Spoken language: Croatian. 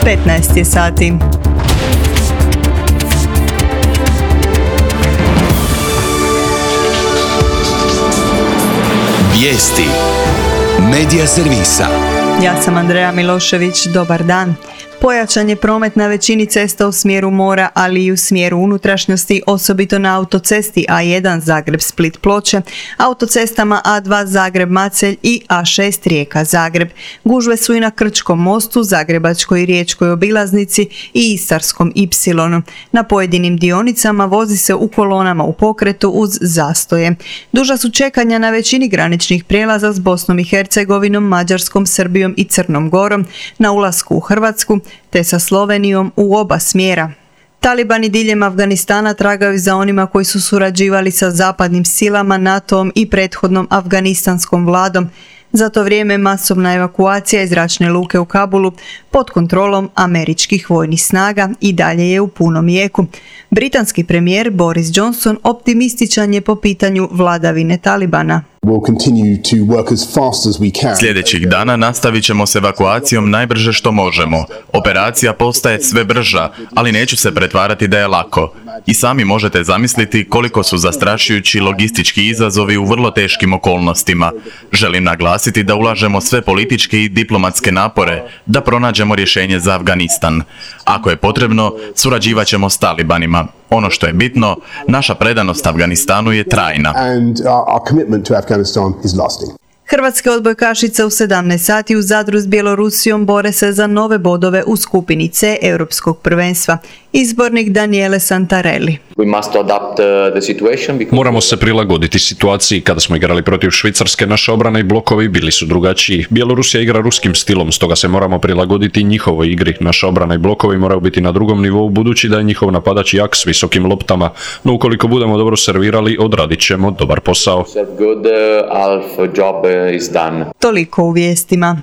15 je sati. Vijesti Medija servisa. Ja sam Andreja Milošević, dobar dan. Pojačan je promet na većini cesta u smjeru mora, ali i u smjeru unutrašnjosti, osobito na autocesti A1 Zagreb-Split-Ploče, autocestama A2 Zagreb-Macelj i A6 Rijeka-Zagreb. Gužve su i na Krčkom mostu, Zagrebačkoj i Riječkoj obilaznici i Istarskom Y. Na pojedinim dionicama vozi se u kolonama u pokretu uz zastoje. Duža su čekanja na većini graničnih prijelaza s Bosnom i Hercegovinom, Mađarskom, Srbijom i Crnom Gorom, na ulasku u Hrvatsku, te sa Slovenijom u oba smjera. Talibani diljem Afganistana tragaju za onima koji su surađivali sa zapadnim silama, NATO-om i prethodnom afganistanskom vladom. Za to vrijeme masovna evakuacija iz zračne luke u Kabulu pod kontrolom američkih vojnih snaga i dalje je u punom jeku. Britanski premijer Boris Johnson optimističan je po pitanju vladavine Talibana. Sljedećih dana nastavit ćemo s evakuacijom najbrže što možemo. Operacija postaje sve brža, ali neću se pretvarati da je lako. I sami možete zamisliti koliko su zastrašujući logistički izazovi u vrlo teškim okolnostima. Želim naglasiti da ulažemo sve političke i diplomatske napore da pronađemo rješenje za Afganistan. Ako je potrebno, surađivat ćemo s Talibanima. Ono što je bitno, naša predanost Afganistanu je trajna. Hrvatske odbojkašice u 17 sati u Zadru s Bjelorusijom bore se za nove bodove u skupini C Europskog prvenstva. Izbornik Daniele Santarelli. Moramo se prilagoditi situaciji. Kada smo igrali protiv Švicarske, naša obrana i blokovi bili su drugačiji. Bjelorusija igra ruskim stilom, stoga se moramo prilagoditi njihovoj igri. Naša obrana i blokovi moraju biti na drugom nivou, budući da je njihov napadač jak s visokim loptama. No ukoliko budemo dobro servirali, odradit ćemo dobar posao. Toliko u vijestima.